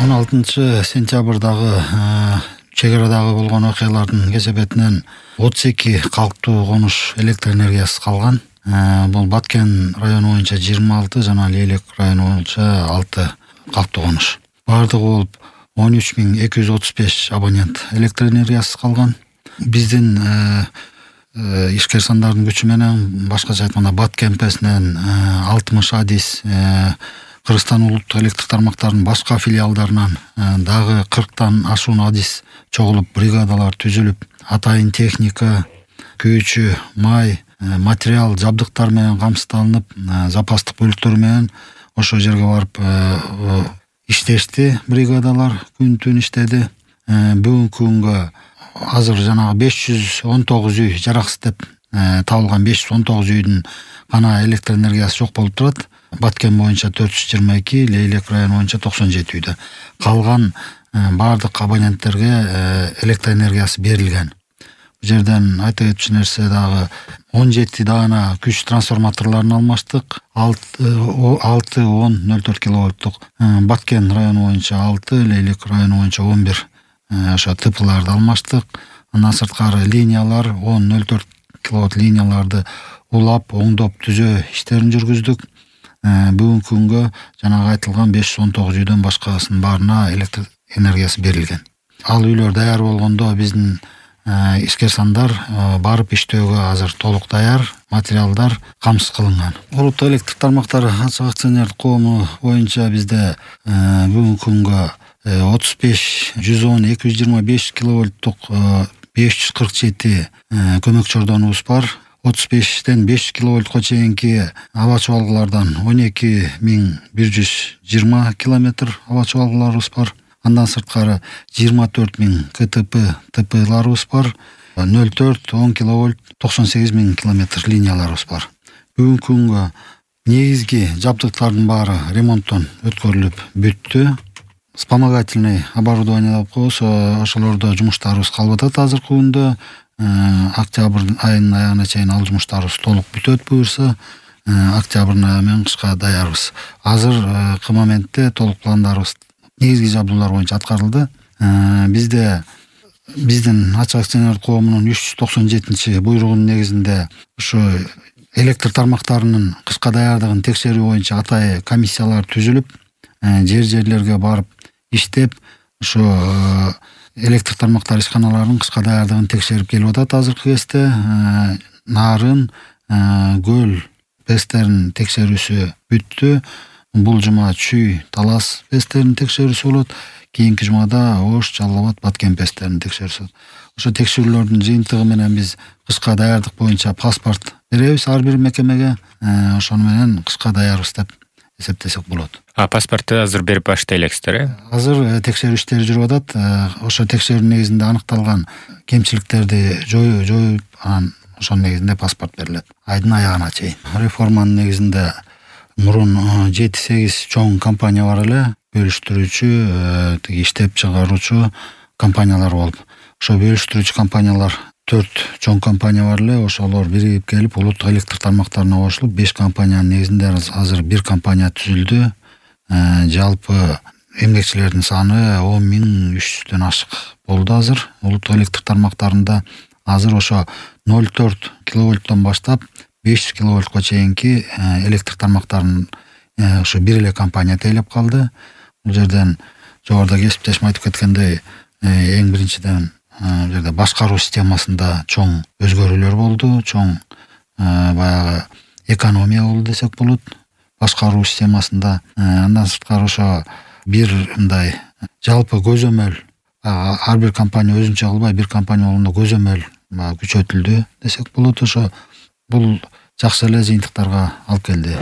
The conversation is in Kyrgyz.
16-сентябрдагы чек арадагы болгон окуялардын кесепетинен 32 калктуу конуш электр энергиясыз калган. Бул Баткен району боюнча 26 жана Лейлек району боюнча 6 калктуу конуш. Бардыгы болуп 13235 абонент электр энергиясыз калган. Биздин ишкер сандардын күчү менен, башкача айтканда Баткемпесинен 60 адис Кыргызстан улуттук электр тармактарынын башка филиалдарынан дагы 40тан ашуун адис чогулуп, бригадалар түзүлүп, атайын техника, күйүүчү, май, материал, жабдыктар менен камсыздалынып, запастык бөлүктөр менен ошол жерге барып иштешти. Бригадалар күн-түн иштеди. Бүгүнкү күнгө азыр жанагы 519 үй жараксыз деп табылган 519 үйдүн гана электр энергиясы жок болуп турат. Баткен боюнча 422, Лейлек району боюнча 97 үйдө. Калган бардык абоненттерге электр энергиясы берилген. Бул жерден айта кетчү нерсе дагы 17 даана күч трансформаторлорун алмаштык. 6-10-04 киловольттук. Баткен району боюнча 6, Лейлек району боюнча 11 ошо ТПларды алмаштык. Андан сырткары линиялар 10-04 киловольт линияларды улап, оңдоп, түзөө иштерин жүргүздүк. Бүгүнкү күнгө жанагы айтылган 519 үйдөн башкасынын баарына электр энергиясы берилген. Ал үйлөр даяр болгондо биздин ишкер сандар барып иштөөгө азыр толук даяр, материалдар камсыз кылынган. Улуттук электр тармактары ачык акционердик коому боюнча бизде бүгүнкү күнгө 35-110-225 киловольттук 547 көмөк чордонубуз бар. 35-тен 5 киловольтко чейинки аба чыбалгылардан 12120 километр аба чыбалгыларыбыз бар. Андан сырткары 24000 КТП ТПларыбыз бар. 0,4-10 киловольт 98000 километр линияларыбыз бар. Бүгүнкү күнгө негизги жабдыктардын баары ремонттон өткөрүлүп бүттү. Вспомогательный оборудование деп коебуз, ошолордо жумуштарыбыз калып атат азыркы күндө. Октябрь айынын аягына чейин ал жумуштарыбыз толук бүтөт буюрса, октябрдын айы менен кышка даярбыз. Азыркы моментте толук пландарыбыз негизги жабдуулар боюнча аткарылды. Бизде биздин ачык акционердик коомунун 397 буйругунун негизинде ушу электр тармактарынын кышка даярдыгын текшерүү боюнча атайын комиссиялар түзүлүп, жерлерге барып иштеп, ушу электр тармактар ишканаларынын кышка даярдыгын текшерип келип атат азыркы кезде. Нарын, көл пестеринин текшерүүсү бүттү. Бул жума Чүй, Талас пестеринин текшерүүсү болот. Кийинки жумада Ош, Жалал Абад, Баткен пестеринин текшерүүсү. Ошо текшерүүлөрдүн жыйынтыгы менен биз кышка даярдык боюнча паспорт беребиз ар бир мекемеге. Ошону менен кышка даярбыз деп эсептесек болот. Паспортду азыр берип баштай элексиздер, Азыр текшерүү иштери жүрүп атат. Ошо текшерүүнүн негизинде аныкталган кемчиликтерди жоюп, анан ошонун негизинде паспорт берилет айдын аягына чейин. Реформанын негизинде мурун 7-8 чоң компания бар эле, бөлүштүрүүчү, иштеп чыгаруучу компаниялар болуп. Ошо бөлүштүрүүчү компаниялар 4 чоң компания бар эле, ошолор биригип келип улуттук электр тармактарына кошулуп, 5 компаниянын негизинде азыр бир компания түзүлдү. Жалпы эмгекчилердин саны 10300дөн ашык болду азыр. Улуттук электр тармактарында азыр ошо 0,4 киловольттон баштап 5 киловольтко чейинки электр тармактарын ошо бир эле компания тейлеп калды. Бул жерден жогоруда кесиптешим айтып кеткендей, эң биринчиден бул жерде башкаруу системасында чоң өзгөрүүлөр болду, чоң баягы экономия болду десек болот башкаруу системасында. Андан сырткары ошо бир мындай жалпы көзөмөл, ар бир компания өзүнчө кылбай бир компания болгондо көзөмөл күчөтүлдү десек болот. Ошо бул жакшы эле жыйынтыктарга алып келди.